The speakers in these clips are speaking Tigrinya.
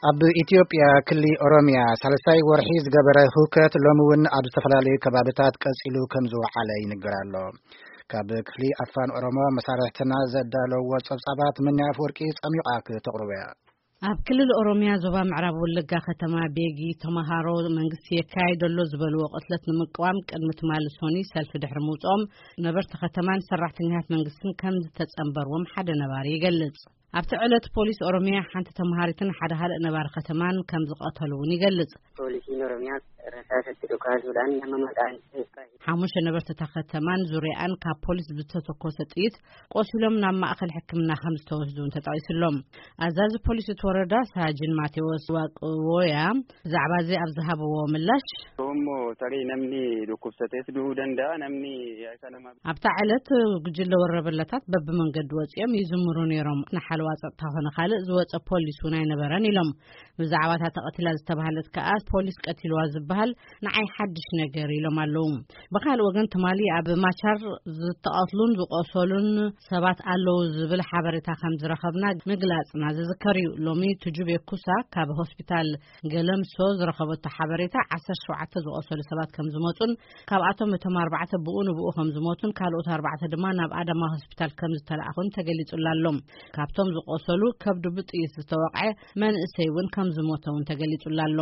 ኣብ ኢትዮጵያ ክሊ ኦሮሚያ ሳልሳይ ወርሒ ዝገበረ ህውከት ሎሚ እውን ኣብ ዝተፈላለዩ ከባብታት ቀጺሉ ከም ዝወዓለ ይንገር ኣሎ። ካብ ክፍሊ ኣፋን ኦሮሞ መሳርሕትና ዘዳለዎ ጸብጻባት ምንያ ኣፍወርቂ ጸሚቓ ክተቕርቦ እያ። ኣብ ክልል ኦሮሚያ ዞባ ምዕራብ ወለጋ ከተማ ቤጊ ተማሃሮ መንግስቲ የካይዶ ኣሎ ዝበልዎ ቅትለት ንምቅዋም ቅድሚ ትማሊ ሶኒ ሰልፊ ድሕሪ ምውፅኦም ነበርቲ ከተማን ሰራሕተኛታት መንግስትን ከም ዝተጸንበርዎም ሓደ ነባሪ ይገልጽ። ኣብቲ ዕለት ፖሊስ ኦሮሚያ ሓንቲ ተማሃሪትን ሓደ ካልእ ነባሪ ከተማን ከም ዝቐተሉ እውን ይገልጽ። Poolisiin Oromiyaas rasaasatti dhukaasuudhaan nama maqaan isaa ሓሙሽተ ነበርቲ እታ ከተማን ዙሪያኣን ካብ ፖሊስ ብዝተተኮሰ ጥይት ቆሲሎም ናብ ማእከል ሕክምና ከም ዝተወስዱ እውን ተጠቒሱሎም። ኣዛዚ ፖሊስ እቲ ወረዳ ሳጅን ማቴዎስ ዋቅዎያ ብዛዕባ እዚ ኣብ ዝሃብዎ ምላሽ፣ Yoommoo tarii namni dhukkubsatees du'uu danda'a, namni akka nama ኣብታ ዕለት ጉጅለ ወረበላታት በብመንገዲ ወፂኦም ይዝምሩ ነይሮም። ንሓለዋ ፀጥታ ኮነ ካልእ ዝወፀ ፖሊስ እውን ኣይነበረን ኢሎም። ብዛዕባ እታ ተቐቲላ ዝተባህለት ከኣ ፖሊስ ቀቲልዋ ዝበሃል ንዓይ ሓድሽ ነገር ኢሎም ኣለዉ። ብኻልእ ወገን ትማሊ ኣብ ማቻር ዝተቐትሉን ዝቆሰሉን ሰባት ኣለዉ ዝብል ሓበሬታ ከም ዝረኸብና ምግላጽና ዝዝከር እዩ። ሎሚ ቱጁቤ ኩሳ ካብ ሆስፒታል ገለምሶ ዝረኸበቶ ሓበሬታ ዓሰርተ ሸውዓተ ዝቆሰሉ ሰባት ከም ዝመጹን ካብኣቶም እቶም ኣርባዕተ ብኡ ንብኡ ከም ዝሞቱን ካልኦት ኣርባዕተ ድማ ናብ ኣዳማ ሆስፒታል ከም ዝተላእኹን ተገሊጹላ ኣሎ። ካብቶም ዝቆሰሉ ከብዱ ብጥይት ዝተወቕዐ መንእሰይ እውን ከም ዝሞተ እውን ተገሊጹላ ኣሎ።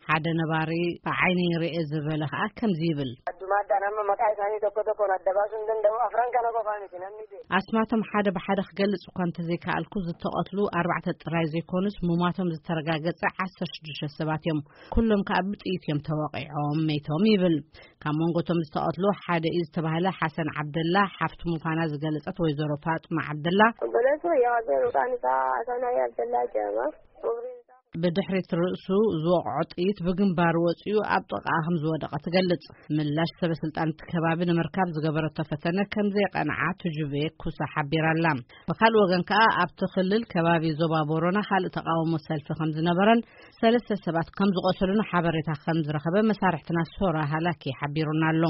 ሓደ ነባሪ ብዓይነይ ርእየ ዝበለ ከኣ ከምዚ ይብል። Addumaadhaan amma maqaa isaanii tokko tokkoon adda baasuu hin danda'u. Afran kana qofaa miti namni beeku. ኣስማቶም ሓደ ብሓደ ክገልጽ እኳ እንተዘይከኣልኩ ዝተቐትሉ ኣርባዕተ ጥራይ ዘይኮኑስ ምሟቶም ዝተረጋገጸ ዓሰርተ ሽዱሽተ ሰባት እዮም። ኩሎም ከኣ ብጥይት እዮም ተወቒዖም መይቶም ይብል። ካብ መንጎቶም ዝተቐትሉ ሓደ እዩ ዝተባህለ ሓሰን ዓብደላ ሓፍቲ ምዃና ዝገለጸት ወይዘሮ ፋጥማ ዓብደላ፣ Obboleessi kiyya Waaqayyo maqaan isaa Asanaa Abdallaa jedhama. Umriin isaa ብድሕሪት ርእሱ ዝወቕዖ ጥይት ብግንባሩ ወጺኡ ኣብ ጥቓኣ ከም ዝወደቐ ትገልጽ። ምላሽ ሰበ ስልጣን እቲ ከባቢ ንምርካብ ዝገበረቶ ፈተነ ከም ዘይቀንዓ ትጁቤ ኩሳ ሓቢራ ኣላ። ብኻልእ ወገን ከኣ ኣብቲ ክልል ከባቢ ዞባ ቦሮና ካልእ ተቓውሞ ሰልፊ ከም ዝነበረን ሰለስተ ሰባት ከም ዝቆሰሉን ሓበሬታ ከም ዝረኸበ መሳርሕትና ሶራ ሃላኪ ሓቢሩና ኣሎ።